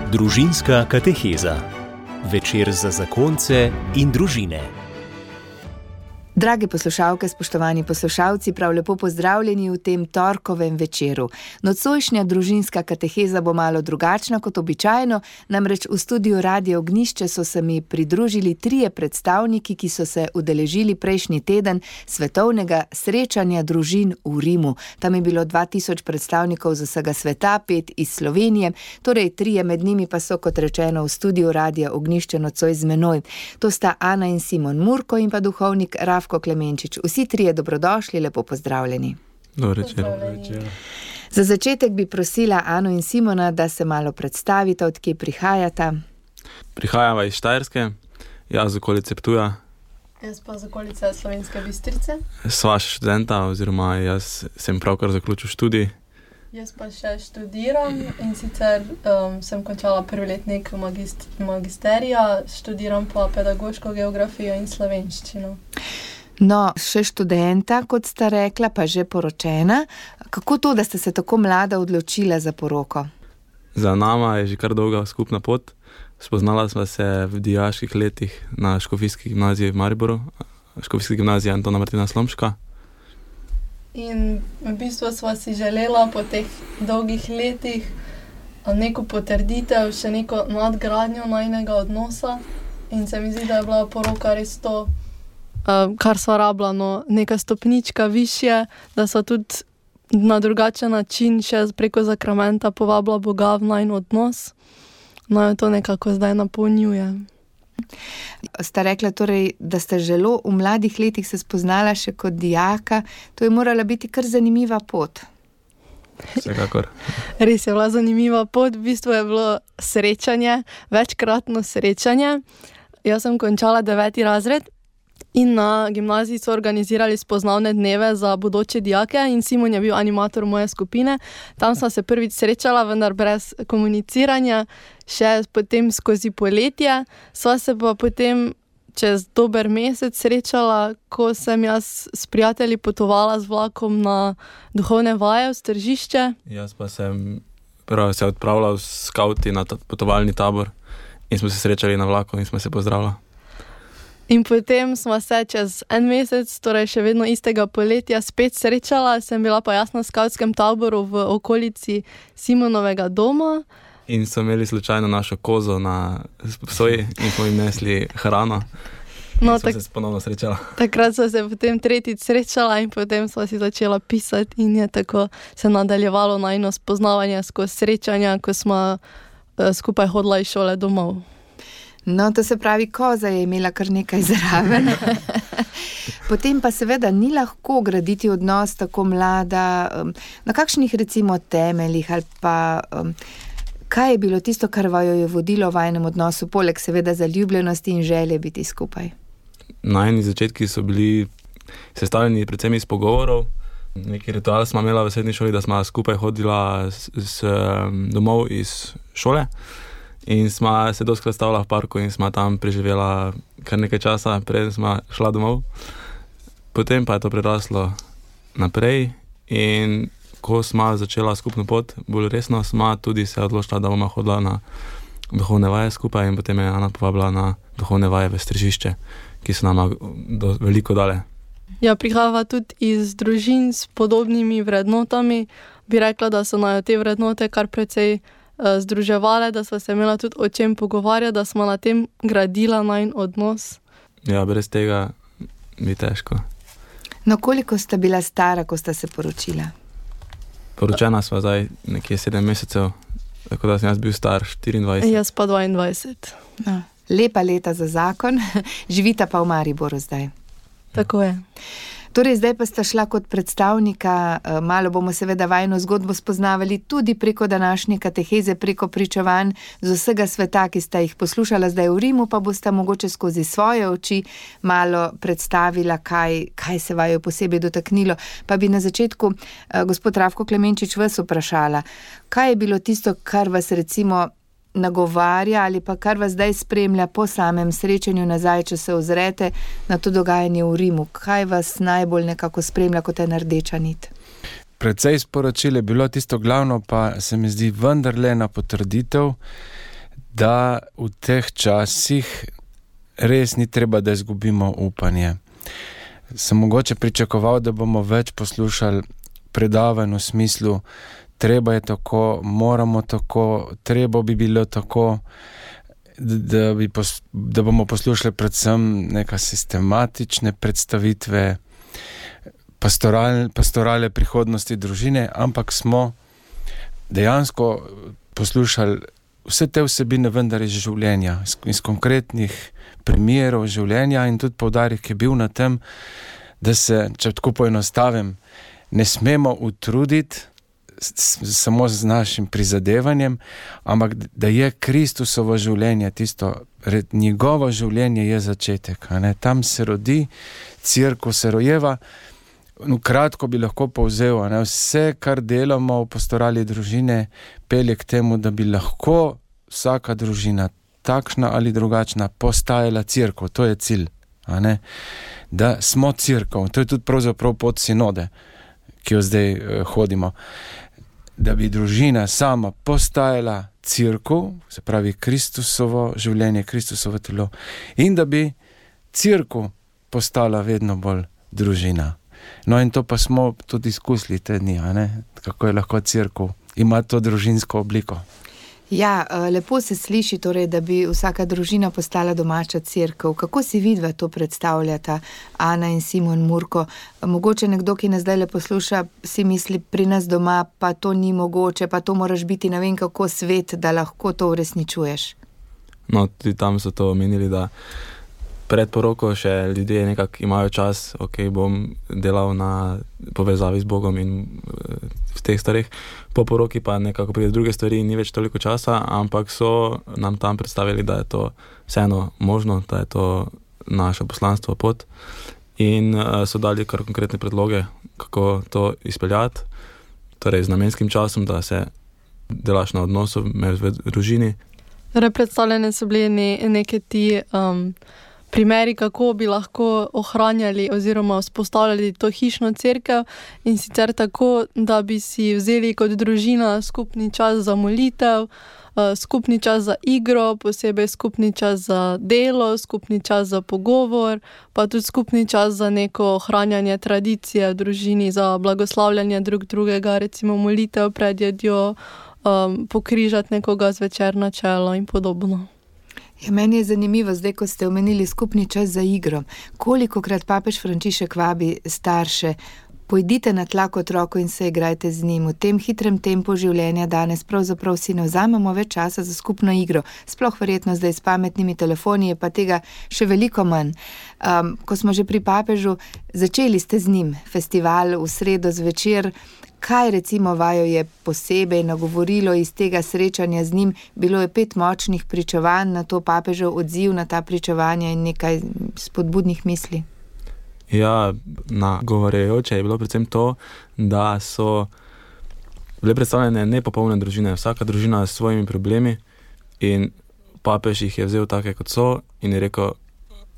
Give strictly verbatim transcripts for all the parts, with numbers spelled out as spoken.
Družinska kateheza. Večer za zakonce in družine. Drage poslušalke, spoštovani poslušalci, prav lepo pozdravljeni v tem torkovem večeru. Nocojšnja družinska kateheza bo malo drugačna kot običajno, namreč v studiu Radia Ognjišče so se mi pridružili trije predstavniki, ki so se udeležili prejšnji teden svetovnega srečanja družin v Rimu. Tam je bilo dva tisoč predstavnikov z vsega sveta, pet iz Slovenije, torej trije med njimi pa so, kot rečeno, v studiu Radia Ognjišče nocoj z menoj. To sta Ana in Simon Murko in pa duhovnik Rafko Klemenčič. Vsi trije dobrodošli, lepo pozdravljeni. Dobro večer. Za začetek bi prosila Ano in Simona, da se malo predstavita, od kje prihajata. Prihajava iz Štajerske, jaz z okolice Ptuja. Jaz pa z okolice Slovenske Bistrice. Sva študenta, oziroma jaz sem pravkar zaključil študij. Jaz pa še študiram in sicer um, sem končala prvi letnik magist- magisterija, študiram pa pedagoško geografijo in slovenščino. No, še študenta, kot sta rekla, pa že poročena. Kako to, da ste se tako mlada odločila za poroko? Za nama je že kar dolga skupna pot. Spoznala sva se v dijaških letih na Škofijski gimnaziji v Mariboru, Škofijski gimnaziji Antona Martina Slomška. In v bistvu sva si želela po teh dolgih letih neko potrditev, še neko nadgradnjo najnega odnosa. In se mi zdi, da je bila poroka res to, Uh, kar sva rabila, no, neka stopnička višje, da sva tudi na drugačen način še preko zakramenta povabila Boga v najin odnos. No, to nekako zdaj napolnjuje. Sta rekla torej, da ste želo v mladih letih se spoznala še kot dijaka. To je morala biti kar zanimiva pot. Vsekakor. Res je bila zanimiva pot, v bistvu je bilo srečanje, večkratno srečanje. Jaz sem končala deveti razred. In na gimnaziji so organizirali spoznavne dneve za bodoče dijake in Simon je bil animator moje skupine. Tam sva se prvič srečala, vendar brez komuniciranja, še potem skozi poletje. Sva se pa potem čez dober mesec srečala, ko sem jaz s prijatelji potovala z vlakom na duhovne vaje v Tržišče. Jaz pa sem prvo se odpravila v skauti na potovalni tabor in smo se srečali na vlaku in smo se pozdravila. In potem smo se čez en mesec, torej še vedno istega poletja, spet srečala. Sem bila pa jaz na skavtskem taboru v okolici Simonovega doma. In so imeli slučajno našo kozo na soji in smo jim nesli hrano. No, in smo tak, se ponovno srečala. Takrat so se potem tretjič srečala in potem smo si začela pisati in je tako se nadaljevalo najino spoznavanje skozi srečanja, ko smo uh, skupaj hodila iz šole domov. No, to se pravi, koza je imela kar nekaj zraven. Potem pa seveda ni lahko graditi odnos tako mlada. Na kakšnih recimo temeljih ali pa um, kaj je bilo tisto, kar vaju je vodilo v enem odnosu, poleg seveda zaljubljenosti in želje biti skupaj? Najni začetki so bili sestavljeni predvsem iz pogovorov. Neki ritual smo imela v srednji šoli, da smo skupaj hodila s, s, domov iz šole. In smo se dostikrat stavila v parku in smo tam preživela kar nekaj časa, preden smo šla domov. Potem pa je to preraslo naprej in ko smo začela skupno pot, bolj resno, smo tudi se odločila, da bomo hodila na duhovne vaje skupaj in potem je Ana povabila na duhovne vaje v Tržišče, ki so nama do, veliko dale. Ja, prihajava tudi iz družin s podobnimi vrednotami. Bi rekla, da so najo te vrednote kar precej združevale, da sva se imela tudi o čem pogovarjati, da smo na tem gradila najin odnos. Ja, brez tega bi težko. No, koliko sta bila stara, ko sta se poročila? Poročena sva zdaj nekje sedem mesecev, tako da sem jaz bil star štiriindvajset. Jaz pa dvaindvajset. No, lepa leta za zakon, živita pa v Mariboru zdaj. Tako je. Torej, zdaj pa sta šla kot predstavnika, malo bomo seveda vajino zgodbo spoznavali tudi preko današnje kateheze, preko pričevanj z vsega sveta, ki sta jih poslušala zdaj v Rimu, pa bosta mogoče skozi svoje oči malo predstavila, kaj, kaj se vaju posebej dotaknilo. Pa bi na začetku, gospod Rafko Klemenčič, vas vprašala, kaj je bilo tisto, kar vas recimo nagovarja ali pa kar vas zdaj spremlja po samem srečanju nazaj, če se ozrete na to dogajanje v Rimu? Kaj vas najbolj nekako spremlja kot ena rdeča nit? Precej sporočil je bilo, tisto glavno pa se mi zdi vendarle na potrditev da v teh časih res ni treba, da izgubimo upanje. Sem mogoče pričakoval, da bomo več poslušali predavanj v smislu, treba je tako, moramo tako, treba bi bilo tako, da, bi pos, da bomo poslušali predvsem neka sistematične predstavitve, pastoral, pastorale prihodnosti družine, ampak smo dejansko poslušali vse te vsebine vendar iz življenja, iz, iz konkretnih primerov življenja in tudi poudarek je bil na tem, da se, če tako poenostavim, ne smemo utruditi s, samo z našim prizadevanjem, ampak da je Kristusovo življenje tisto, njegovo življenje je začetek. A ne? Tam se rodi, cerkev se rojeva. No, kratko bi lahko povzel, a ne? Vse, kar delamo v pastorali družine, pelje k temu, da bi lahko vsaka družina, takšna ali drugačna, postajala cerkev. To je cilj. A ne? Da smo cerkev. To je tudi pravzaprav pot sinode, ki jo zdaj eh, hodimo. Da bi družina sama postajala cerkev, se pravi Kristusovo življenje, Kristusovo telo, in da bi cerkev postala vedno bolj družina. No in to pa smo tudi izkusili te dni, a ne? Kako je lahko cerkev ima to družinsko obliko. Ja, lepo se sliši, torej, da bi vsaka družina postala domača cerkev. Kako si vidva to predstavljata, Ana in Simon Murko? Mogoče nekdo, ki nas zdaj le posluša, si misli, pri nas doma pa to ni mogoče, pa to moraš biti ne vem kako svet, da lahko to uresničuješ. No, tudi tam so to omenili, da pred poroko še ljudje nekako imajo čas, ok, bom delal na povezavi z Bogom in v teh stvarih. Po poroki pa nekako pride druge stvari in ni več toliko časa, ampak so nam tam predstavili, da je to vseeno možno, da je to naše poslanstvo, pot. In uh, so dali kar konkretne predloge, kako to izpeljati, torej z namenskim časom, da se delaš na odnosu med v družini. Torej predstavljene so bili ne, neke ti um, primeri, kako bi lahko ohranjali oziroma vzpostavljali to hišno cerkev, in sicer tako, da bi si vzeli kot družina skupni čas za molitev, skupni čas za igro, posebej skupni čas za delo, skupni čas za pogovor, pa tudi skupni čas za neko ohranjanje tradicije v družini, za blagoslavljanje drug drugega, recimo molitev pred jedjo, um, pokrižati nekoga zvečer na čelo in podobno. Ja, meni je zanimivo, zdaj, ko ste omenili skupni čas za igro. Kolikokrat papež Frančišek vabi starše, pojdite na tlak otroku in se igrajte z njim. V tem hitrem tempu življenja danes pravzaprav si ne vzamemo več časa za skupno igro. Sploh verjetno zdaj s pametnimi telefoni je pa tega še veliko manj. Um, ko smo že pri papežu, začeli ste z njim festival v sredo zvečer. Kaj recimo vaju je posebej nagovorilo iz tega srečanja z njim? Bilo je pet močnih pričevanj, na to papežev odziv na ta pričevanja in nekaj spodbudnih misli. Ja, nagovarjajoče je bilo predvsem to, da so bile predstavljene nepopolne družine. Vsaka družina s svojimi problemi in papež jih je vzel take, kot so, in je rekel,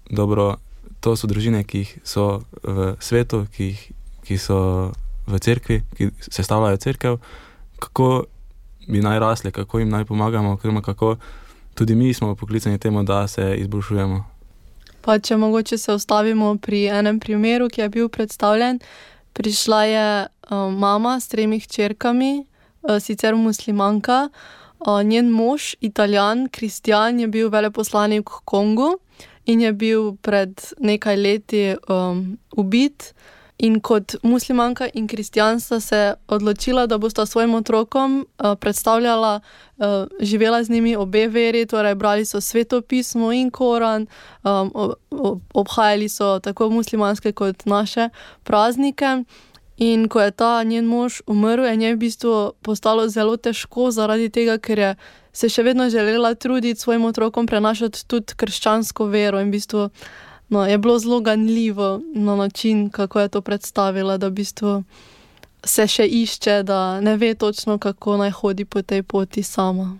dobro, to so družine, ki so v svetu, ki, ki so v cerkvi, ki sestavljajo cerkev, kako bi naj rasli, kako jim naj pomagamo, kako tudi mi smo poklicani temu, da se izboljšujemo. Pa če mogoče se ustavimo pri enem primeru, ki je bil predstavljen, prišla je uh, mama s tremi hčerkami, uh, sicer muslimanka, uh, njen mož, Italijan, kristjan, je bil veleposlanik v Kongu in je bil pred nekaj leti um, ubit. In kot muslimanka in kristjan sta se odločila, da bosta svojim otrokom uh, predstavljala, uh, živela z njimi obe veri, torej brali so svetopismo in Koran, um, ob, obhajali so tako muslimanske kot naše praznike. In ko je ta njen mož umrl, je njej v bistvu postalo zelo težko zaradi tega, ker je se še vedno želela truditi svojim otrokom prenašati tudi krščansko vero in v bistvu no, je bilo zelo ganljivo na način, kako je to predstavila, da v bistvu se še išče, da ne ve točno, kako naj hodi po tej poti sama.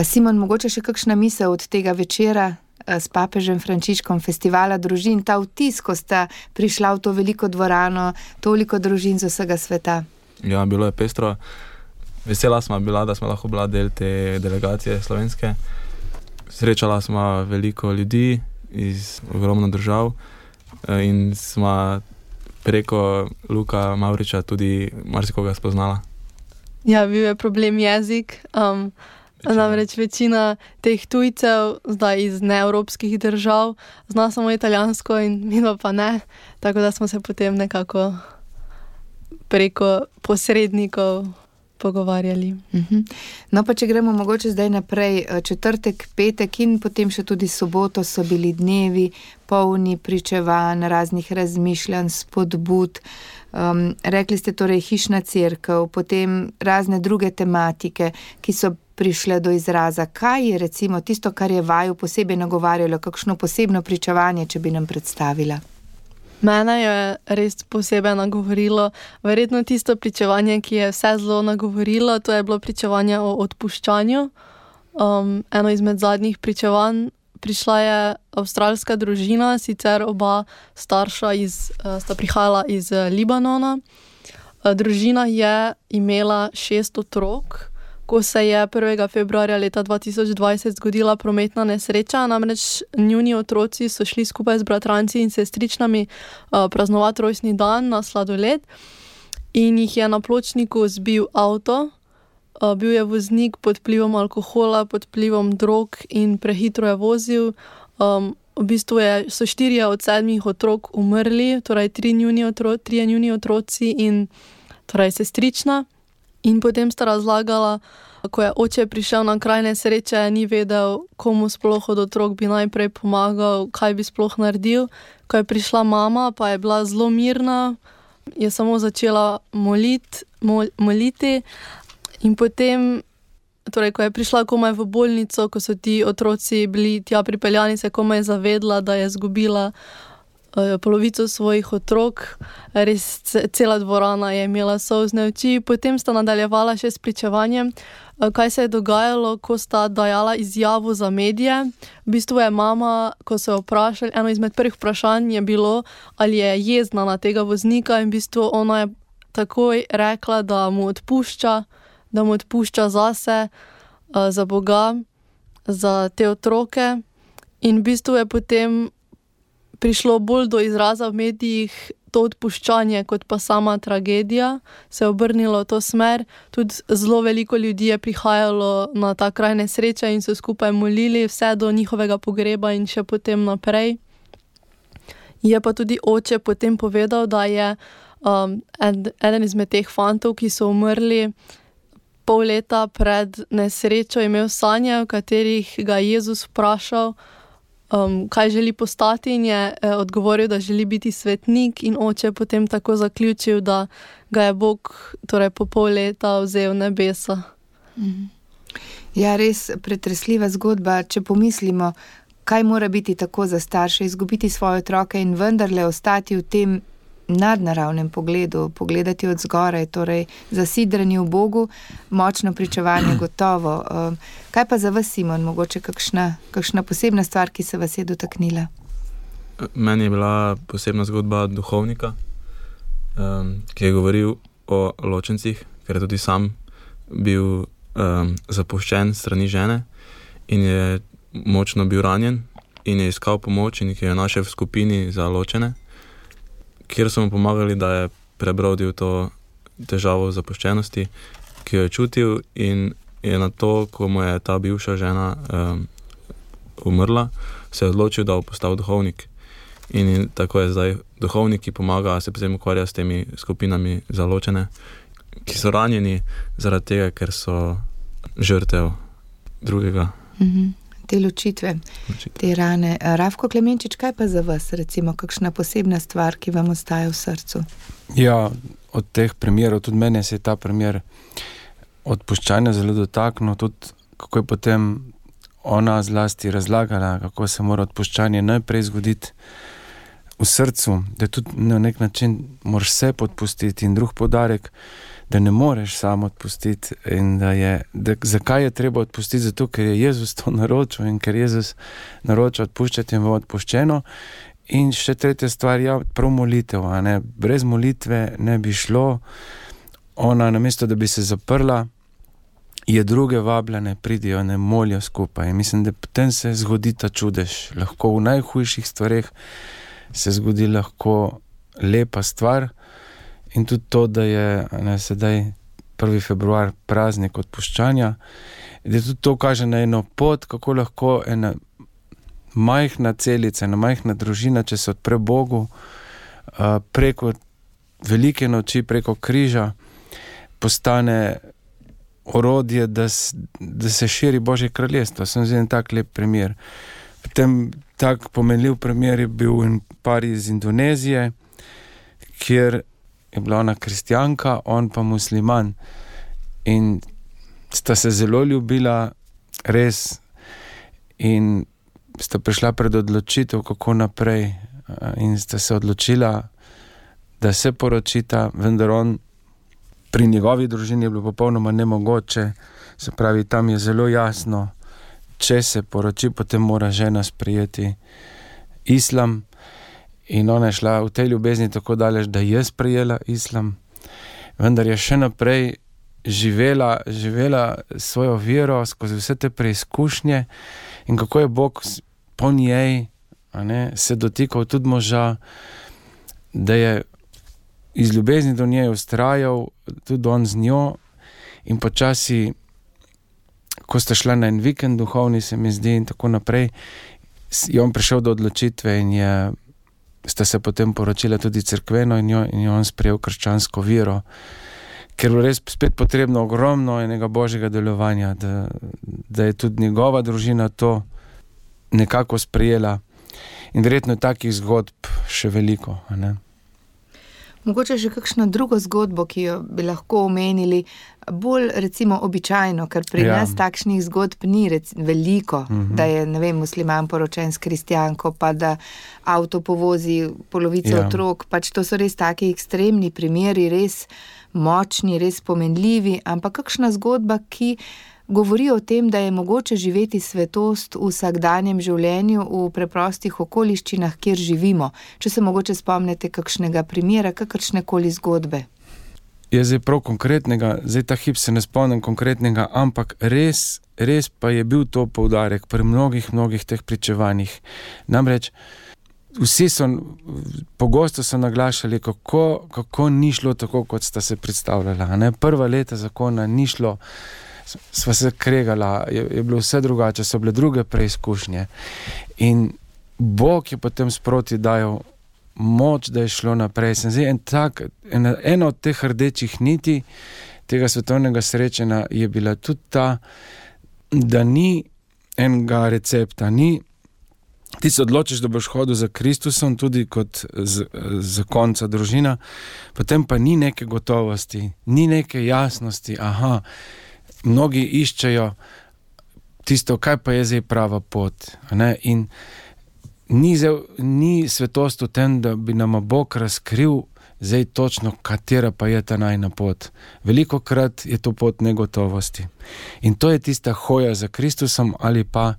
Simon, mogoče še kakšna misel od tega večera s papežem Frančiškom, festivala družin, ta vtis, ko sta prišla v to veliko dvorano, toliko družin z vsega sveta? Ja, bilo je pestro. vesela smo bila, da smo lahko bila del te delegacije slovenske. Srečala smo veliko ljudi iz ogromno držav in smo preko Luka Mavriča tudi marsikoga spoznala. Ja, bil je problem jezik. Um, namreč večina teh tujcev zdaj iz neevropskih držav zna samo italijansko in midva pa ne. Tako da smo se potem nekako preko posrednikov pogovarjali. Uh-huh. No pa če gremo mogoče zdaj naprej, četrtek, petek in potem še tudi soboto so bili dnevi polni pričevanj, raznih razmišljanj, spodbud. Um, rekli ste torej hišna cerkev, potem razne druge tematike, ki so prišle do izraza. Kaj je recimo tisto, kar je vaju posebej nagovarjalo, kakšno posebno pričevanje, če bi nam predstavila? Mene je res posebej nagovorilo, verjetno tisto pričevanje, ki je vse zelo nagovorilo, to je bilo pričevanje o odpuščanju. Um, eno izmed zadnjih pričevanj, prišla je avstralska družina, sicer oba starša iz, sta prihajala iz Libanona. Družina je imela šest otrok, ko se je prvega februarja leta dva tisoč dvajset zgodila prometna nesreča, namreč njuni otroci so šli skupaj z bratranci in sestričnami uh, praznovati rojstni dan na sladoled in jih je na pločniku zbil avto. Uh, bil je voznik pod vplivom alkohola, pod vplivom drog in prehitro je vozil. Um, v bistvu je, so štirje od sedmih otrok umrli, torej tri njuni otro, trije njuni otroci in torej sestrična. In potem sta razlagala, ko je oče prišel na kraj nesreče, ni vedel, komu sploh od otrok bi najprej pomagal, kaj bi sploh naredil. Ko je prišla mama, pa je bila zelo mirna, je samo začela molit, mol, moliti. In potem, torej, ko je prišla komaj v bolnico, ko so ti otroci bili tja pripeljani, se komaj zavedla, da je izgubila polovico svojih otrok, res cela dvorana je imela solzne oči. Potem sta nadaljevala še s pričevanjem, kaj se je dogajalo, ko sta dajala izjavo za medije. V bistvu je mama, ko so jo vprašali, eno izmed prvih vprašanj je bilo, ali je jezna na tega voznika in v bistvu ona je takoj rekla, da mu odpušča, da mu odpušča zase, za Boga, za te otroke. In v bistvu je potem prišlo bolj do izraza v medijih to odpuščanje, kot pa sama tragedija, se je obrnilo v to smer. Tudi zelo veliko ljudi je prihajalo na ta kraj nesreče in so skupaj molili vse do njihovega pogreba in še potem naprej. Je pa tudi oče potem povedal, da je um, ed, eden izmed teh fantov, ki so umrli pol leta pred nesrečo, imel sanje, v katerih ga je Jezus vprašal, Um, kaj želi postati in je eh, odgovoril, da želi biti svetnik in oče potem tako zaključil, da ga je Bog torej po pol leta vzel nebesa. Mhm. Ja, res pretresljiva zgodba, če pomislimo, kaj mora biti tako za starše, izgubiti svoje otroke in vendarle ostati v tem nadnaravnem pogledu, pogledati od zgoraj, torej zasidrani v Bogu, močno pričevanje gotovo. Kaj pa za vas, Simon, mogoče kakšna, kakšna posebna stvar, ki se vas je dotaknila? Meni je bila posebna zgodba duhovnika, um, ki je govoril o ločencih, ker je tudi sam bil um, zapuščen strani žene in je močno bil ranjen in je iskal pomoč in ki jo našel v skupini za ločene, kjer so mu pomagali, da je prebrodil to težavo zapuščenosti, ki jo je čutil in je na to, ko mu je ta bivša žena um, umrla, se je odločil, da bo postal duhovnik. In tako je zdaj duhovnik, ki pomaga, se potem ukvarja s temi skupinami za ločene, ki so ranjeni zaradi tega, ker so žrtev drugega. Mhm. Te ločitve, te rane. Rafko Klemenčič, kaj pa za vas, recimo, kakšna posebna stvar, ki vam ostaja v srcu? Ja, od teh primerov, tudi meni se je ta primer odpuščanja zelo dotaknil, tudi kako je potem ona zlasti razlagala, kako se mora odpuščanje najprej zgoditi v srcu, da tudi na nek način moraš se podpustiti in drug poudarek, da ne moreš samo odpustiti in da je, da, zakaj je treba odpustiti, zato ker je Jezus to naročil in ker Jezus naroča odpuščati in bo odpuščeno. In še tretja stvar, ja, prav molitev, a ne, brez molitve ne bi šlo. Ona namesto, da bi se zaprla je druge vabljene, pridijo, ne molijo skupaj. In mislim, da potem se zgodi ta čudež. Lahko v najhujših stvareh se zgodi lahko lepa stvar in tudi to, da je ne, sedaj prvi februar praznik odpuščanja, da tudi to kaže na eno pot, kako lahko ena majhna celica, ena majhna družina, če se odpre Bogu, preko velike noči, preko križa, postane orodje, da, da se širi Božje kraljestvo. Sem zdaj en tak lep primer. Potem tak pomenljiv primer je bil en par iz Indonezije, kjer je bila ona kristjanka, on pa musliman. In sta se zelo ljubila, res, in sta prišla pred odločitev, kako naprej, in sta se odločila, da se poročita, vendar on, pri njegovi družini je bilo popolnoma nemogoče, se pravi, tam je zelo jasno, če se poroči, potem mora žena sprejeti islam, in ona je šla v tej ljubezni tako daleč, da je sprejela islam, vendar je še naprej živela, živela svojo vero skozi vse te preizkušnje in kako je Bog po njej, a ne, se dotikal tudi moža, da je iz ljubezni do nje ustrajal, tudi on z njo, in počasi, ko sta šla na en vikend duhovni, se mi zdi, in tako naprej, je on prišel do odločitve in je, sta se potem poročila tudi cerkveno in, jo, in je on sprejel krščansko vero, ker je res spet potrebno ogromno enega Božjega delovanja, da, da je tudi njegova družina to nekako sprejela. In verjetno je takih zgodb še veliko, a ne? Mogoče še kakšno drugo zgodbo, ki jo bi lahko omenili, bolj recimo običajno, ker pri ja. nas takšnih zgodb ni rec, veliko, uh-huh. da je, ne vem, musliman poročen s kristjanko, pa da avto povozi polovico ja. otrok, pač to so res taki ekstremni primeri, res močni, res pomenljivi, ampak kakšna zgodba, ki govori o tem, da je mogoče živeti svetost v vsakdanjem življenju, v preprostih okoliščinah, kjer živimo. Če se mogoče spomnite kakšnega primera, kakršnekoli zgodbe. Je zdaj prav konkretnega, zdaj ta hip se ne spomnim konkretnega, ampak res, res pa je bil to poudarek pri mnogih, mnogih teh pričevanjih. Namreč, vsi so, pogosto so naglašali, kako, kako ni šlo tako, kot sta se predstavljala. Ne? Prva leta zakona ni šlo, sva se kregala, je, je bilo vse drugače, so bile druge preizkušnje. In Bog je potem sproti dajal moč, da je šlo naprej. Sem zdaj en tak, ena, ena od teh rdečih niti tega svetovnega srečanja je bila tudi ta, da ni enega recepta, ni, ti se odločiš, da boš hodil za Kristusom, tudi kot z, zakonca družina, potem pa ni neke gotovosti, ni neke jasnosti, aha, mnogi iščejo tisto, kaj pa je zdaj prava pot. Ne? In ni, zdaj, ni svetost v tem, da bi nam Bog razkril zdaj točno, katera pa je ta najna pot. Velikokrat je to pot negotovosti. In to je tista hoja za Kristusom ali pa,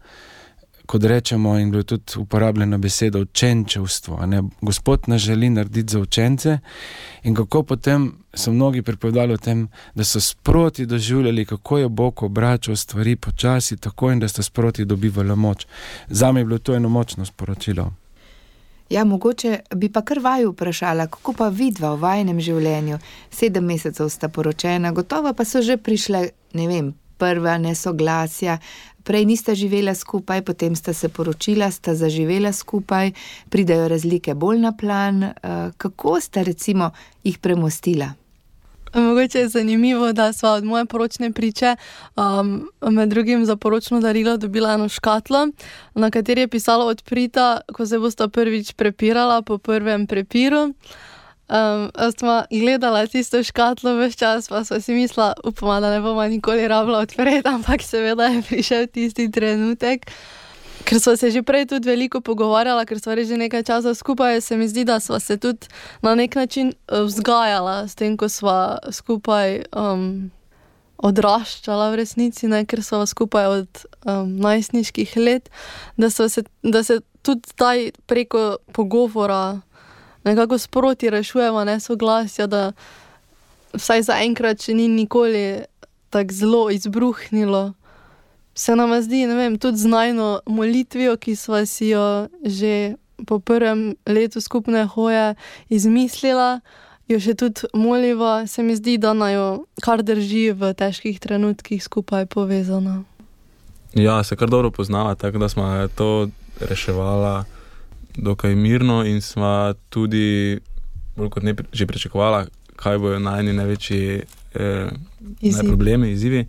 kot rečemo, in bilo tudi uporabljena beseda, učenčevstvo. Ne? Gospod nas želi narediti za učence in kako potem so mnogi pripovedali o tem, da so sproti doživljali, kako je Bog obračal stvari počasi, tako in da sta sproti dobivali moč. Zame je bilo to eno močno sporočilo. Ja, mogoče bi pa kar vaju vprašala, kako pa vidva v vajnem življenju. Sedem mesecev sta poročena, gotovo pa so že prišle, ne vem, prva nesoglasja, prej nista živela skupaj, potem sta se poročila, sta zaživela skupaj, pridajo razlike bolj na plan. Kako sta recimo jih premostila? Mogoče je zanimivo, da sva od moje poročne priče um, med drugim za poročno darilo dobila eno škatlo, na kateri je pisalo odprita, ko se bosta prvič prepirala po prvem prepiru. Um, sva gledala tisto škatlo ves čas, pa sva si mislila, upama, da ne bova nikoli rabila odpreti, ampak seveda je prišel tisti trenutek. Ker sva se že prej tudi veliko pogovarjala, ker sva že nekaj časa skupaj, se mi zdi, da sva se tudi na nek način vzgajala s tem, ko sva skupaj um, odraščala v resnici, ne, ker sva skupaj od um, najstniških let, da, se, da se tudi taj preko pogovora nekako sproti rešujemo nesoglasja, da vsaj za enkrat, če ni nikoli tako zelo izbruhnilo. Se nam zdi, ne vem, tudi z najno molitvijo, ki sva si jo že po prvem letu skupne hoje izmislila, jo še tudi moliva, se mi zdi, da najo kar drži v težkih trenutkih skupaj povezana. Ja, se kar dobro poznala, tako da smo to reševala dokaj mirno in smo tudi bolj kot ne že pričakovala, kaj bojo najni največji eh, Izziv. problemi, izzivi.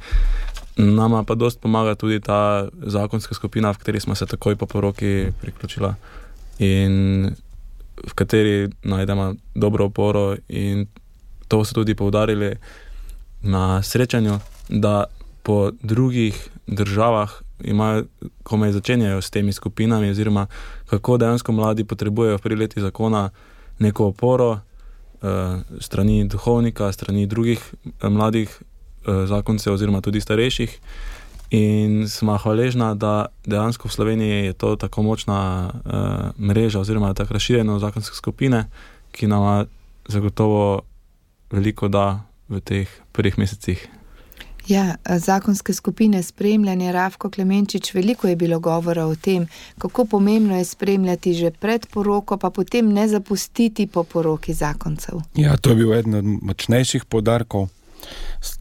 Nama pa dost pomaga tudi ta zakonska skupina, v kateri smo se takoj po poroki priključila in v kateri najdemo dobro oporo, in to so tudi poudarili na srečanju, da po drugih državah imajo, komaj začenjajo s temi skupinami, oziroma kako dejansko mladi potrebujejo pri leti zakona neko oporo eh, strani duhovnika, strani drugih eh, mladih eh, zakoncev oziroma tudi starejših. In smo hvaležna, da dejansko v Sloveniji je to tako močna uh, mreža oziroma tako razširjeno zakonske skupine, ki nama zagotovo veliko da v teh prvih mesecih. Ja, zakonske skupine spremljanja, Rafko Klemenčič, veliko je bilo govora o tem, kako pomembno je spremljati že pred poroko, pa potem ne zapustiti po poroki zakoncev. Ja, to je bil eden od močnejših poudarkov.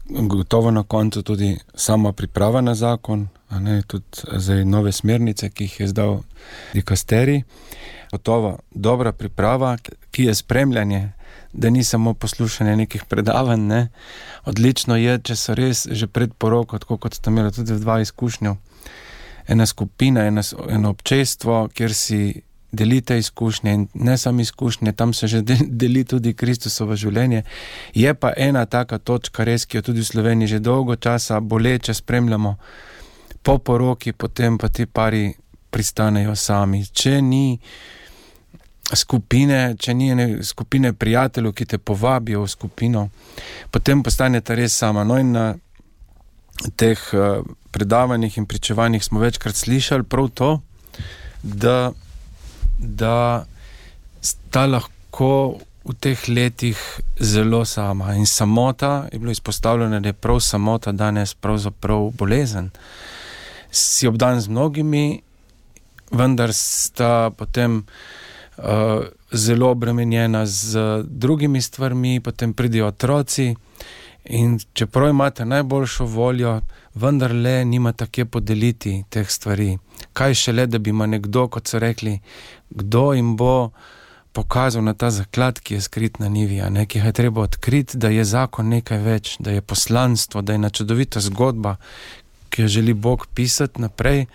Gotovo na koncu tudi sama priprava na zakon, a ne, tudi zdaj nove smernice, ki jih je izdal dikasterij. Gotovo dobra priprava, ki je spremljanje, da ni samo poslušanje nekih predavanj, ne. Odlično je, če so res že pred poroko, tako kot sta imela tudi dva izkušnjo, ena skupina, ena, eno občestvo, kjer si delite izkušnje, in ne samo izkušnje, tam se že deli tudi Kristusovo življenje. Je pa ena taka točka res, ki jo tudi v Sloveniji že dolgo časa boleče spremljamo, po poroki, potem pa ti pari pristanejo sami. Če ni skupine, če ni ene skupine prijateljev, ki te povabijo v skupino, potem postanete res sama. No, in na teh uh, predavanjih in pričevanjih smo večkrat slišali prav to, da da sta lahko v teh letih zelo sama. In samota, je bilo izpostavljeno, da je prav samota danes pravzaprav bolezen. Si obdan z mnogimi, vendar sta potem uh, zelo obremenjena z drugimi stvarmi, potem pridijo otroci, in čeprav imate najboljšo voljo, vendar le nimate kje podeliti teh stvari. Kaj šele, da bi ima nekdo, kot so rekli, kdo jim bo pokazal na ta zaklad, ki je skrit na nivi, a ne, ki je treba odkriti, da je zakon nekaj več, da je poslanstvo, da je ena čudovita zgodba, ki jo želi Bog pisati naprej.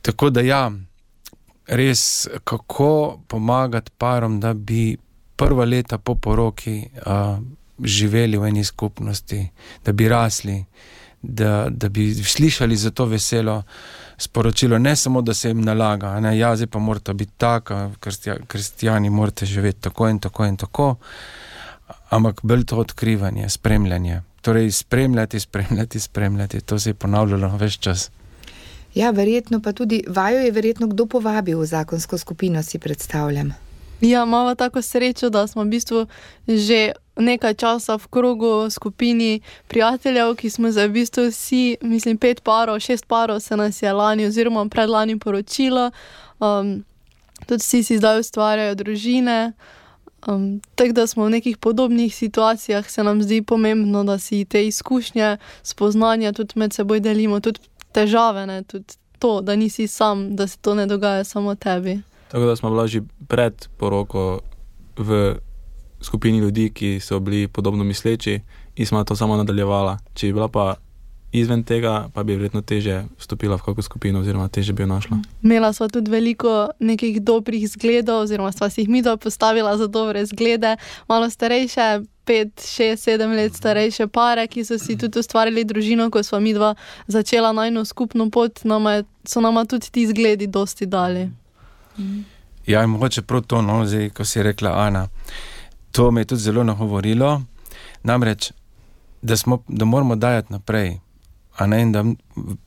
Tako da ja, res, kako pomagati parom, da bi prva leta po poroki a, živeli v eni skupnosti, da bi rasli, da, da bi slišali za to veselo sporočilo, ne samo, da se jim nalaga, ne, ja, zdaj pa morate biti taka, kristijani morate živeti tako in tako in tako, ampak bolj to odkrivanje, spremljanje. Torej, spremljati, spremljati, spremljati, to se je ponavljalo ves čas. Ja, verjetno pa tudi, vaju je verjetno kdo povabil v zakonsko skupino, si predstavljam. Ja, imamo tako srečo, da smo v bistvu že nekaj časa v krogu skupini prijateljev, ki smo za v bistvu vsi, mislim, pet parov, šest parov se nas je lani oziroma predlani poročilo. Um, tudi vsi si zdaj ustvarjajo družine. Um, tako da smo v nekih podobnih situacijah, se nam zdi pomembno, da si te izkušnje, spoznanja tudi med seboj delimo, tudi težave, ne, tudi to, da nisi sam, da se to ne dogaja samo tebi. Tako da smo bila že pred poroko v skupini ljudi, ki so bili podobno misleči, in smo to samo nadaljevala. Če bi bila pa izven tega, pa bi verjetno teže vstopila v kakšno skupino oziroma teže bi jo našla. Imela sva tudi veliko nekih dobrih zgledov, oziroma sva si jih midva postavila za dobre zglede, malo starejše, pet, šest, sedem let starejše pare, ki so si tudi ustvarili družino, ko sva midva začela najno skupno pot, nama je, so nama tudi ti zgledi dosti dali. Ja, in mogoče prav to, no, zdaj, ko si rekla Ana, to me je tudi zelo nagovorilo, namreč, da, smo, da moramo dajati naprej, a ne, in da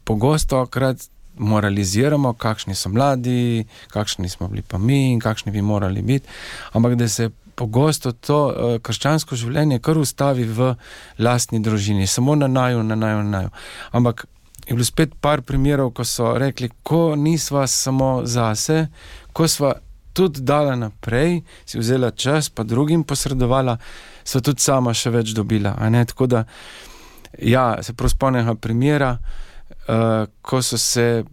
pogosto krat moraliziramo, kakšni so mladi, kakšni smo bili pa mi in kakšni bi morali biti, ampak da se pogosto to uh, krščansko življenje kar ustavi v lastni družini, samo na naju, na naju, na naju. Ampak je bilo spet par primerov, ko so rekli, ko nisva samo zase, ko sva tudi dala naprej, si vzela čas, pa drugim posredovala, sva tudi sama še več dobila. A ne? Tako da, ja, se prav spomnega primera, uh, ko so se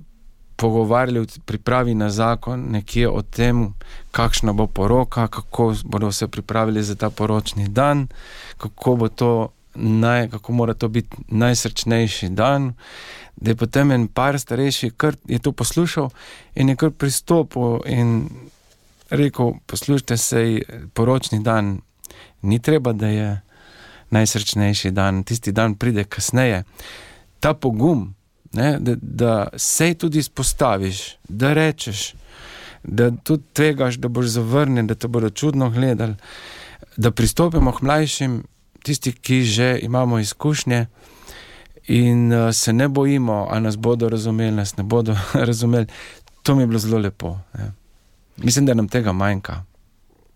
pogovarjali v pripravi na zakon nekje o tem, kakšna bo poroka, kako bodo se pripravili za ta poročni dan, kako bo to naj, kako mora to biti najsrečnejši dan, da je potem en par starejši, kar je to poslušal in je kar pristopil in rekel, poslušajte se, poročni dan ni treba, da je najsrečnejši dan, tisti dan pride kasneje. Ta pogum, ne, da, da sej tudi izpostaviš, da rečeš, da tudi tvegaš, da boš zavrnjen, da te bodo čudno gledali, da pristopimo k mlajšim, tisti, ki že imamo izkušnje in uh, se ne bojimo, a nas bodo razumeli, nas ne bodo razumeli. To mi je bilo zelo lepo. Ne. Mislim, da nam tega manjka.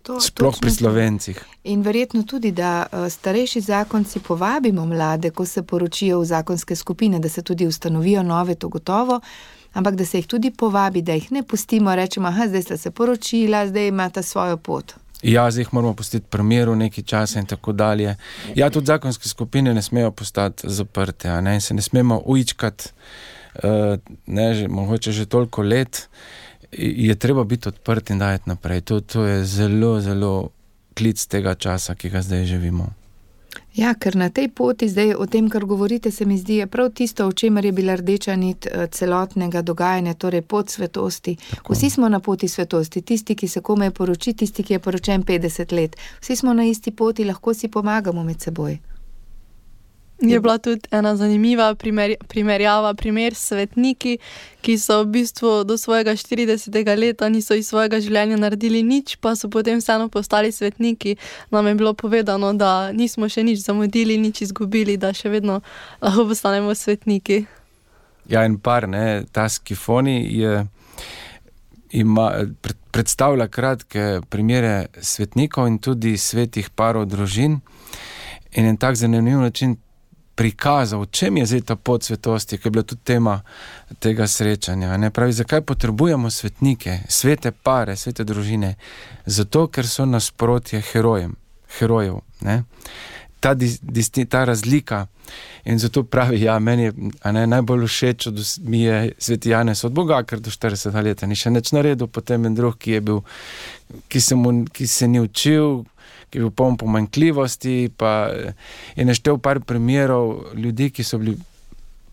To, sploh pri Slovencih. In verjetno tudi, da uh, starejši zakonci povabimo mlade, ko se poročijo v zakonske skupine, da se tudi ustanovijo nove, to gotovo, ampak da se jih tudi povabi, da jih ne pustimo, rečemo, aha, zdaj sta se poročila, zdaj imata svojo pot. Ja, zdaj jih moramo pustiti primeru nekaj časa in tako dalje. Ja, tudi zakonske skupine ne smejo postati zaprte, a ne, in se ne smemo ujčkati, uh, ne, že, mogoče že toliko let, je treba biti odprt in dajati naprej. To, to je zelo, zelo klic tega časa, ki ga zdaj živimo. Ja, ker na tej poti zdaj o tem, kar govorite, se mi zdi, je prav tisto, o čemer je bila rdeča nit celotnega dogajanja, torej pot svetosti. Tako. Vsi smo na poti svetosti, tisti, ki se komaj poroči, tisti, ki je poročen petdeset let. Vsi smo na isti poti, lahko si pomagamo med seboj. Je bila tudi ena zanimiva primer, primerjava, primer svetniki, ki so v bistvu do svojega štiridesetega leta niso iz svojega življenja naredili nič, pa so potem vseeno postali svetniki. Nam je bilo povedano, da nismo še nič zamudili, nič izgubili, da še vedno lahko postanemo svetniki. Ja, in par, ne, ta Skifoni je, ima, predstavlja kratke primere svetnikov in tudi svetih parov družin in en tak zanimiv način prikazal, v čem je zdaj ta pot svetosti, ki je bila tudi tema tega srečanja. Ne? Pravi, zakaj potrebujemo svetnike, svete pare, svete družine? Zato, ker so nasprotje herojem, herojev. Ne? Ta, disti, ta razlika. In zato pravi, ja, meni je a ne, najbolj všeč od mi je sveti Janez od Boga, ker do štiridesetega leta ni še nič naredil, potem en drug, ki je bil, ki se, mu, ki se ni učil, ki je bil poln pomanjkljivosti, pa je naštel par primerov ljudi, ki so bili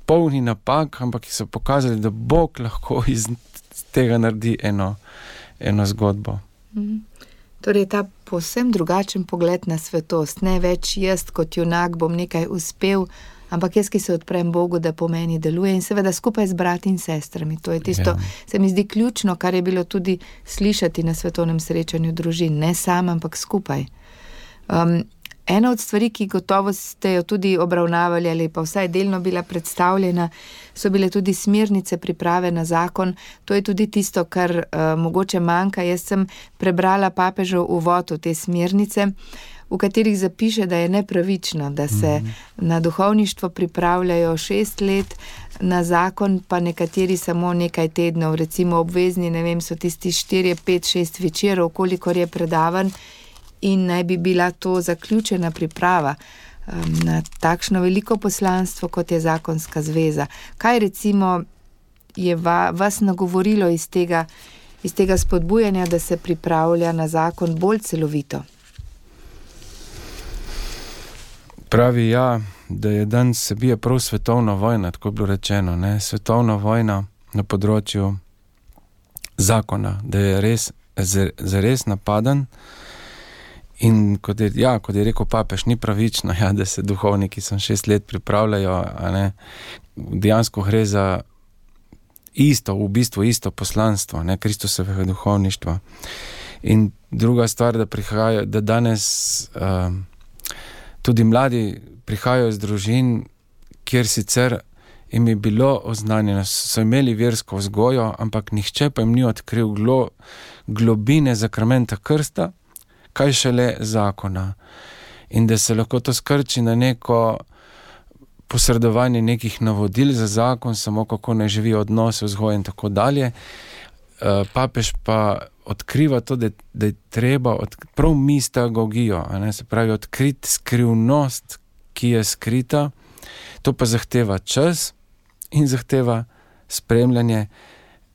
polni napak, ampak ki so pokazali, da Bog lahko iz tega naredi eno, eno zgodbo. Mhm. Torej ta povsem drugačen pogled na svetost, ne več jaz kot junak bom nekaj uspel, ampak jaz, ki se odprem Bogu, da po meni deluje in seveda skupaj z brati in sestrami. To je tisto, ja. Se mi zdi ključno, kar je bilo tudi slišati na svetovnem srečanju družin, ne sam, ampak skupaj. Um, ena od stvari, ki gotovo ste jo tudi obravnavali ali pa vsaj delno bila predstavljena, so bile tudi smernice priprave na zakon. To je tudi tisto, kar uh, mogoče manjka. Jaz sem prebrala papežev uvod v te smernice, v katerih zapiše, da je nepravično, da se mm-hmm. na duhovništvo pripravljajo šest let, na zakon pa nekateri samo nekaj tednov, recimo obvezni, ne vem, so tisti štirje, pet, šest večerov, kolikor je predavan, in naj bi bila to zaključena priprava um, na takšno veliko poslanstvo, kot je zakonska zveza. Kaj recimo je va, vas nagovorilo iz tega, iz tega spodbujanja, da se pripravlja na zakon bolj celovito? Pravi, ja, da je danes se bije prav svetovna vojna, tako je bilo rečeno, ne? Svetovna vojna na področju zakona, da je res, zares napaden. In kot je, ja, kot je rekel papež, ni pravično, ja, da se duhovniki sem šest let pripravljajo, a ne, dejansko gre za isto, v bistvu isto poslanstvo, ne, Kristusovega duhovništva. In druga stvar, da prihajajo, da danes uh, tudi mladi prihajajo iz družin, kjer sicer jim je bilo oznanjeno, so imeli versko vzgojo, ampak nihče pa jim ni odkril glo, globine zakramenta krsta, kaj šele zakona. In da se lahko to skrči na neko posredovanje nekih navodil za zakon, samo kako ne živijo odnose, vzgoje in tako dalje. Papež pa odkriva to, da, da je treba od, prav mistagogijo, a ne, se pravi odkriti skrivnost, ki je skrita. To pa zahteva čas in zahteva spremljanje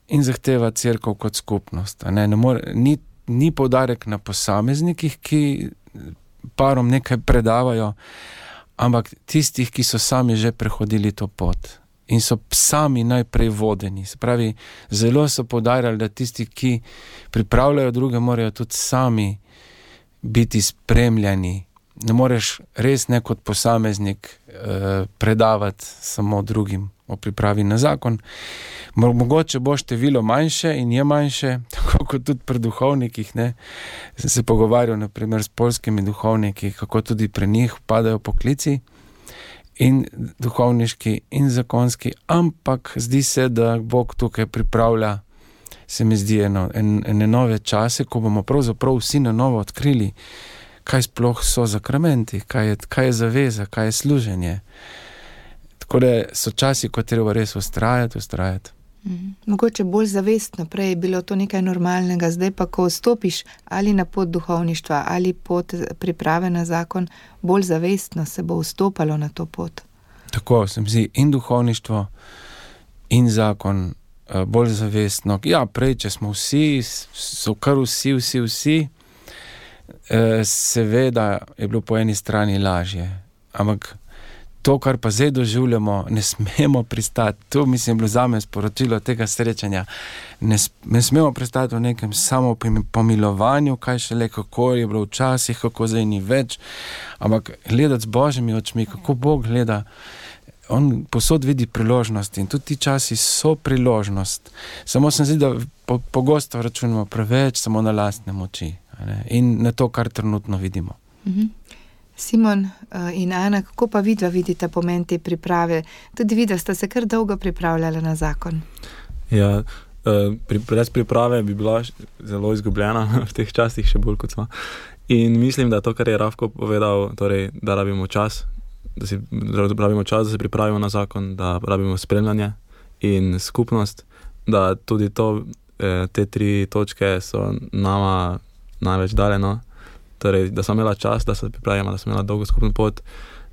in zahteva cerkev kot skupnost. A ne, ne more, ni, ni poudarek na posameznikih, ki parom nekaj predavajo, ampak tistih, ki so sami že prehodili to pot in so sami najprej vodeni. Se pravi, zelo so poudarjali, da tisti, ki pripravljajo druge, morajo tudi sami biti spremljani. Ne moreš res ne kot posameznik eh, predavati samo drugim o pripravi na zakon. Mogoče bo število manjše in je manjše, tako kot tudi pri duhovnikih, ne. Sem se pogovarjal naprimer s poljskimi duhovniki, kako tudi pri njih padajo poklici in duhovniški in zakonski, ampak zdi se, da Bog tukaj pripravlja, se mi zdi, eno, en, ene nove čase, ko bomo pravzaprav vsi na novo odkrili, kaj sploh so zakramenti, kaj je, kaj je zaveza, kaj je služenje. Tako da so časi, ko treba res ustrajati, ustrajati. Mm. Mogoče bolj zavestno, prej je bilo to nekaj normalnega, zdaj pa, ko vstopiš ali na pot duhovništva ali pot priprave na zakon, bolj zavestno se bo vstopalo na to pot. Tako, se mi zdi, in duhovništvo, in zakon bolj zavestno. Ja, prej, če smo vsi, so kar vsi, vsi, vsi, seveda je bilo po eni strani lažje, ampak to, kar pa zdaj doživljamo, ne smemo pristati. To, mislim, je bilo zame sporočilo tega srečanja. Ne, ne smemo pristati v nekem samo pomilovanju, kaj šele, kako je bilo včasih, kako zdaj ni več, ampak gledati z Božjimi očmi, kako Bog gleda. On posod vidi priložnost in tudi ti časi so priložnost. Samo se zdi, da po, pogosto računamo preveč samo na lastne moči, ne? In na to, kar trenutno vidimo. Mhm. Simon in Ana, kako pa vidva vidite pomen te priprave? Tudi vidva sta se kar dolgo pripravljala na zakon. Ja, brez priprave bi bila zelo izgubljena v teh časih, še bolj kot smo. In mislim, da to, kar je Rafko povedal, torej, da rabimo čas, da si rabimo čas, da se pripravimo na zakon, da rabimo spremljanje in skupnost, da tudi to, te tri točke so nama največ dale, no. Torej, da smo imela čas, da se pripravimo, da smo imela dolgo skupno pot,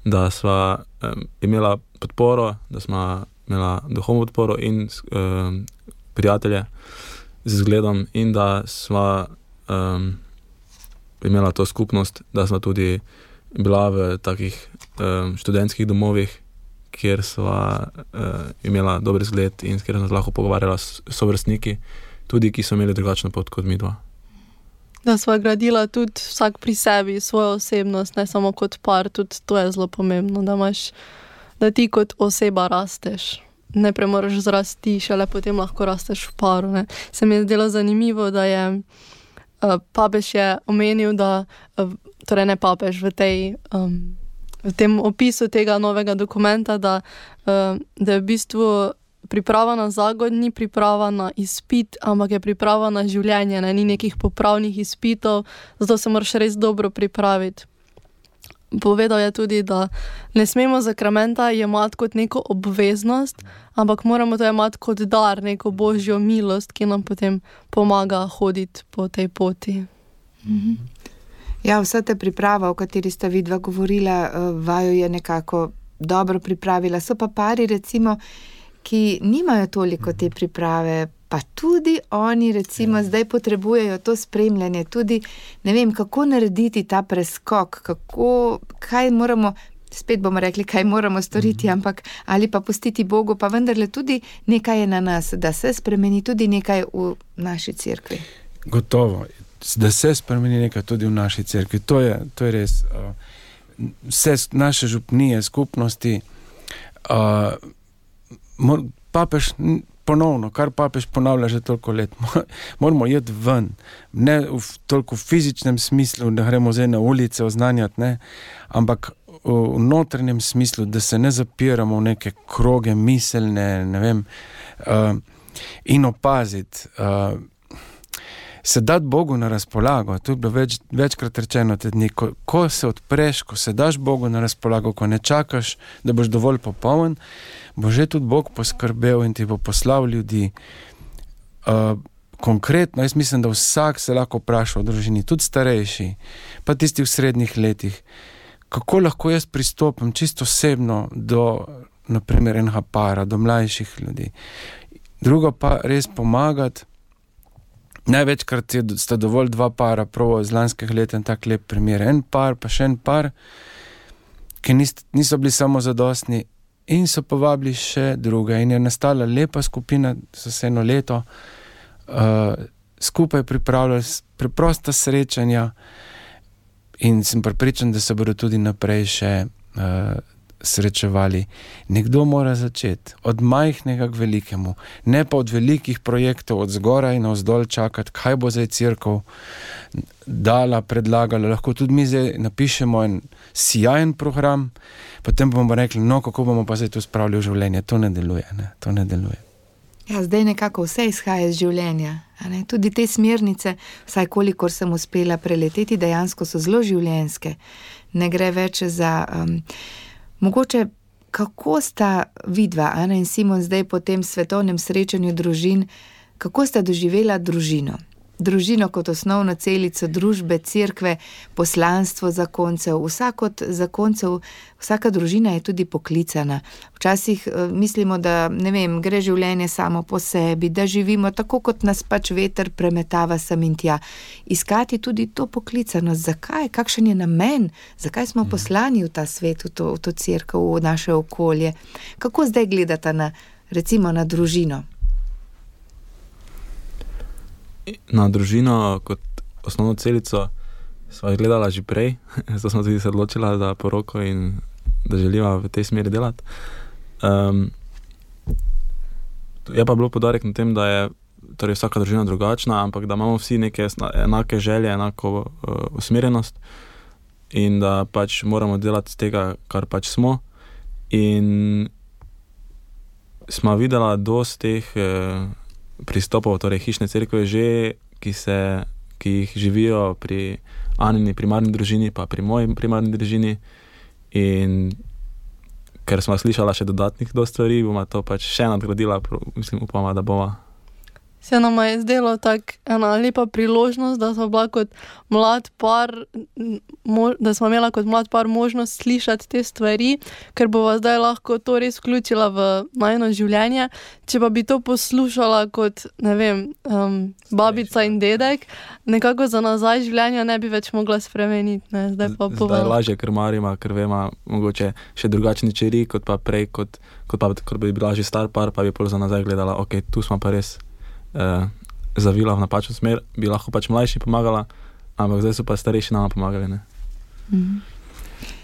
da smo um, imela podporo, da smo imela duhovno podporo in um, prijatelje z zgledom in da smo um, imela to skupnost, da smo tudi bila v takih um, študentskih domovih, kjer smo uh, imela dober zgled in s kjer smo lahko pogovarjala s sovrstniki, tudi ki so imeli drugačno pot kot mi dva. Da sva gradila tudi vsak pri sebi svojo osebnost, ne samo kot par, tudi to je zelo pomembno, da imaš, da ti kot oseba rasteš. Ne premoraš zrasti, šele potem lahko rasteš v paru, ne. Se mi je zdelo zanimivo, da je uh, papež je omenil, da, uh, torej ne papež, v tej, um, v tem opisu tega novega dokumenta, da, uh, da je v bistvu priprava na zakon ni priprava na izpit, ampak je priprava na življenje, ne? Ni nekih popravnih izpitov, zato se moraš res dobro pripraviti. Povedal je tudi, da ne smemo zakramenta jemati kot neko obveznost, ampak moramo to jemati kot dar, neko božjo milost, ki nam potem pomaga hoditi po tej poti. Mhm. Ja, vsa ta priprava, o kateri sta vidva govorila, vaju je nekako dobro pripravila. So pa pari, recimo, ki nimajo toliko te priprave, pa tudi oni recimo ja. Zdaj potrebujejo to spremljanje, tudi ne vem, kako narediti ta preskok, kako, kaj moramo, spet bomo rekli, kaj moramo storiti, mm-hmm. ampak ali pa pustiti Bogu, pa vendarle tudi nekaj je na nas, da se spremeni tudi nekaj v naši cerkvi. Gotovo, da se spremeni nekaj tudi v naši cerkvi, to je, to je res. Uh, vse naše župnije, skupnosti, uh, papež ponovno, kar papež ponavlja že toliko let, moramo jeti ven, ne v toliko fizičnem smislu, da gremo zdaj na ulice oznanjati, ne, ampak v notranjem smislu, da se ne zapiramo v neke kroge miselne, ne vem, uh, in opaziti. Uh, se dati Bogu na razpolago. To je bilo več, večkrat rečeno te dni, ko, ko se odpreš, ko se daš Bogu na razpolago, ko ne čakaš, da boš dovolj popoln, bo že tudi Bog poskrbel in ti bo poslal ljudi. Uh, konkretno, jaz mislim, da vsak se lahko vpraša v družini, tudi starejši, pa tisti v srednjih letih, kako lahko jaz pristopim čisto osebno do, naprimer, enega para, do mlajših ljudi. Drugo pa res pomagati. Največkrat je, sta dovolj dva para, prav z lanskih let en tak lep primer. En par, pa še en par, ki nist, niso bili samo zadostni in so povabili še druge. In je nastala lepa skupina, so se eno leto uh, skupaj pripravljali preprosta srečanja in sem prepričan, da se bodo tudi naprej še uh, srečevali. Nekdo mora začeti od majhnega k velikemu, ne pa od velikih projektov od zgoraj na vzdolj čakati, kaj bo zdaj cerkev dala, predlagala. Lahko tudi mi zdaj napišemo en sijajen program, potem bomo rekli, no, kako bomo pa zdaj to spravili v življenje. To ne deluje, ne? To ne deluje. Ja, zdaj nekako vse izhaja iz življenja. A ne? Tudi te smernice, vsaj kolikor sem uspela preleteti, dejansko so zelo življenjske. Ne gre več za... Um, Mogoče, kako sta vidva, Ana in Simon, zdaj po tem svetovnem srečanju družin, kako sta doživela družino? Družino kot osnovno celico družbe, cerkve, poslanstvo zakoncev. Vsak od zakoncev, vsaka družina je tudi poklicana. Včasih mislimo, da, ne vem, gre življenje samo po sebi, da živimo tako, kot nas pač veter premetava sem in tja. Iskati tudi to poklicanost. Zakaj? Kakšen je namen? Zakaj smo poslani v ta svet, v to, v to cerkev, v naše okolje? Kako zdaj gledata na, recimo, na družino? Na družino kot osnovno celico sva gledala že prej, zato smo tudi se odločila za poroko in da želiva v tej smeri delati. Um, je pa bilo podarek na tem, da je torej vsaka družina drugačna, ampak da imamo vsi neke enake želje, enako uh, usmerjenost in da pač moramo delati z tega, kar pač smo. In smo videla dosti teh uh, pristopov, torej hišne cerkve že, ki se, ki jih živijo pri Anini primarni družini, pa pri moji primarni družini. In ker smo slišala še dodatnih do stvari, bomo to pač še nadgradila, mislim, upamo, da bova. Se nam je zdelo tak ena lepa priložnost, da smo bila kot mlad par, da smo imela kot mlad par možnost slišati te stvari, ker bova zdaj lahko to res vključila v najino življenje. Če pa bi to poslušala kot, ne vem, um, babica in dedek, nekako za nazaj življenja ne bi več mogla spremeniti. Ne? Zdaj pa zdaj lažje krmarima, ker vema mogoče še drugačni čeri, kot pa prej, kot, kot pa kot bi bila že star par, pa bi pol za nazaj gledala, ok, tu smo pa res Uh, zavila v napačno smer, bi lahko pač mlajši pomagala, ampak zdaj so pa starejši nama pomagali, ne. Mm-hmm.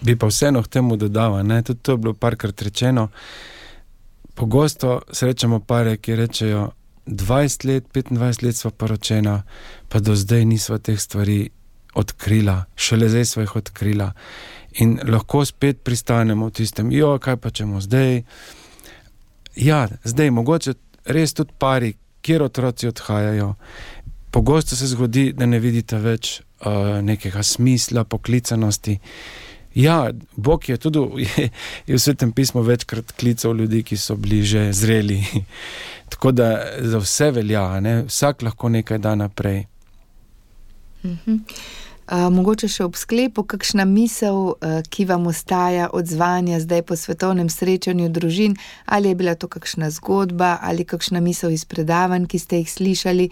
Bi pa vseeno k temu dodala, ne, tudi to je bilo parkrat rečeno. Pogosto srečamo pare, ki rečejo dvajset let, petindvajset let sva poročena, pa do zdaj nisva teh stvari odkrila, šele zdaj sva jih odkrila. In lahko spet pristanemo v tistem, jo, kaj pa čemo zdaj? Ja, zdaj, mogoče res tudi pari, kjer otroci odhajajo. Pogosto se zgodi, da ne vidite več uh, nekega smisla, poklicanosti. Ja, Bog je tudi je, je v Svetem pismu večkrat klical ljudi, ki so bili že zreli. Tako da za vse velja, ne? Vsak lahko nekaj da naprej. Mhm. Uh, mogoče še ob sklepu, kakšna misel, uh, ki vam ostaja od zvanja zdaj po svetovnem srečanju družin, ali je bila to kakšna zgodba, ali kakšna misel iz predavanj, ki ste jih slišali.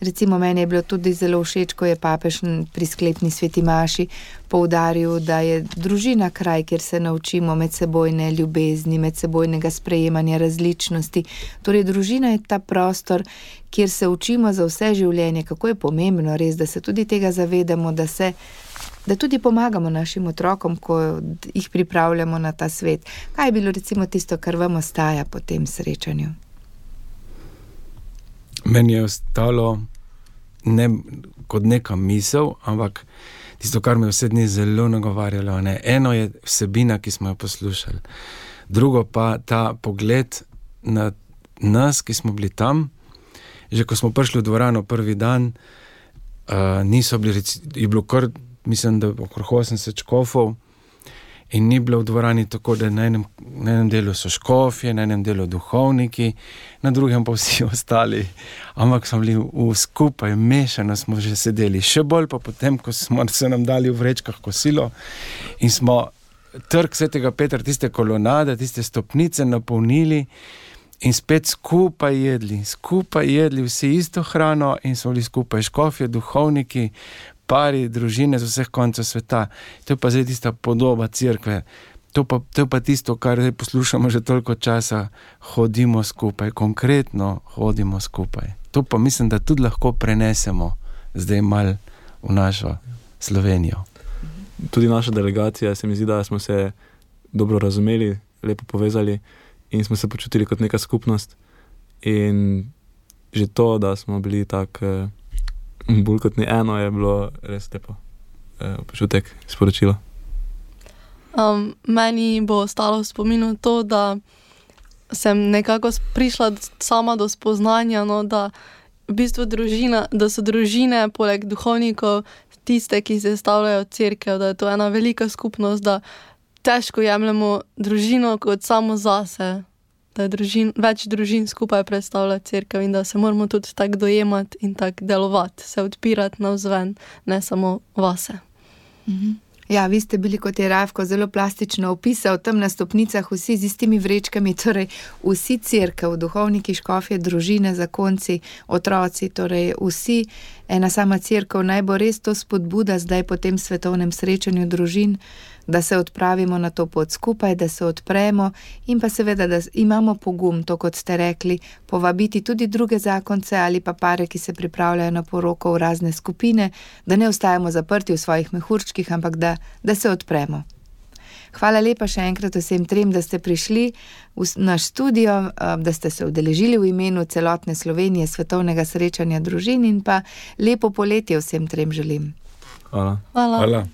Recimo meni je bilo tudi zelo všeč, ko je papež pri sklepni sveti maši poudaril, da je družina kraj, kjer se naučimo medsebojne ljubezni, medsebojnega sprejemanja različnosti. Torej, družina je ta prostor, kjer se učimo za vse življenje, kako je pomembno res, da se tudi tega zavedamo, da se, da tudi pomagamo našim otrokom, ko jih pripravljamo na ta svet. Kaj je bilo recimo tisto, kar vam ostaja po tem srečanju? Meni je ostalo ne kot neka misel, ampak tisto, kar me vse dni zelo nagovarjalo. Ne. Eno je vsebina, ki smo jo poslušali. Drugo pa ta pogled na nas, ki smo bili tam. Že ko smo prišli v dvorano prvi dan, uh, niso bili, reci, je bilo kar, mislim, da okrog osemdeset škofov in ni bilo v dvorani tako, da na enem, na enem delu so škofje, na enem delu duhovniki, na drugem pa vsi ostali, ampak smo bili v skupaj, mešano smo že sedeli, še bolj pa potem, ko smo se nam dali v vrečkah kosilo in smo trg Svetega Petra, tiste kolonade, tiste stopnice napolnili in spet skupaj jedli, skupaj jedli vsi isto hrano in so bili skupaj škofje, duhovniki, pari, družine z vseh koncev sveta. To je pa zdaj tista podoba cerkve. To, pa, to je pa tisto, kar zdaj poslušamo že toliko časa, hodimo skupaj, konkretno hodimo skupaj. To pa mislim, da tudi lahko prenesemo zdaj mal v našo Slovenijo. Tudi naša delegacija, se mi zdi, da smo se dobro razumeli, lepo povezali in smo se počutili kot neka skupnost. In že to, da smo bili tak eh, bolj kot ni eno, je bilo res lepo eh, počutek, sporočilo. Um, meni bo ostalo v spominu to, da sem nekako prišla sama do spoznanja, no, da v bistvu družina, da so družine poleg duhovnikov tiste, ki sestavljajo cerkev, da je to ena velika skupnost, da težko jemljemo družino kot samo zase, da je družin, več družin skupaj predstavlja cerkev in da se moramo tudi tako dojemati in tako delovati, se odpirati navzven, ne samo vase. Mhm. Ja, vi ste bili, kot je Rajko zelo plastično opisal, tam na stopnicah vsi z istimi vrečkami, torej vsi cerkev, duhovniki, škofje, družine, zakonci, otroci, torej vsi, ena sama cerkev, naj bo res to spodbuda zdaj po tem svetovnem srečanju družin, da se odpravimo na to pot skupaj, da se odpremo in pa seveda, da imamo pogum, to kot ste rekli, povabiti tudi druge zakonce ali pa pare, ki se pripravljajo na poroko v razne skupine, da ne ostajamo zaprti v svojih mehurčkih, ampak da, da se odpremo. Hvala lepa še enkrat vsem trem, da ste prišli v naš studio, da ste se udeležili v imenu celotne Slovenije svetovnega srečanja družin in pa lepo poletje vsem trem želim. Hvala. Hvala. Hvala.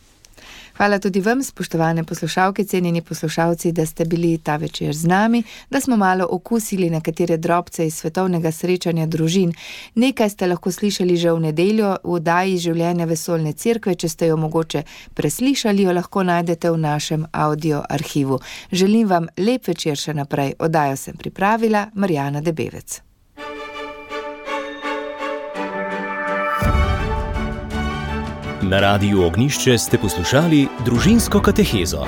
Hvala tudi vam, spoštovane poslušalke, cenjeni poslušalci, da ste bili ta večer z nami, da smo malo okusili nekatere drobce iz svetovnega srečanja družin. Nekaj ste lahko slišali že v nedeljo v oddaji Življenja vesoljne cerkve, če ste jo mogoče preslišali, jo lahko najdete v našem audio arhivu. Želim vam lep večer še naprej. Oddajo sem pripravila Marjana Debevec. Na Radiu Ognjišče ste poslušali Družinsko katehezo.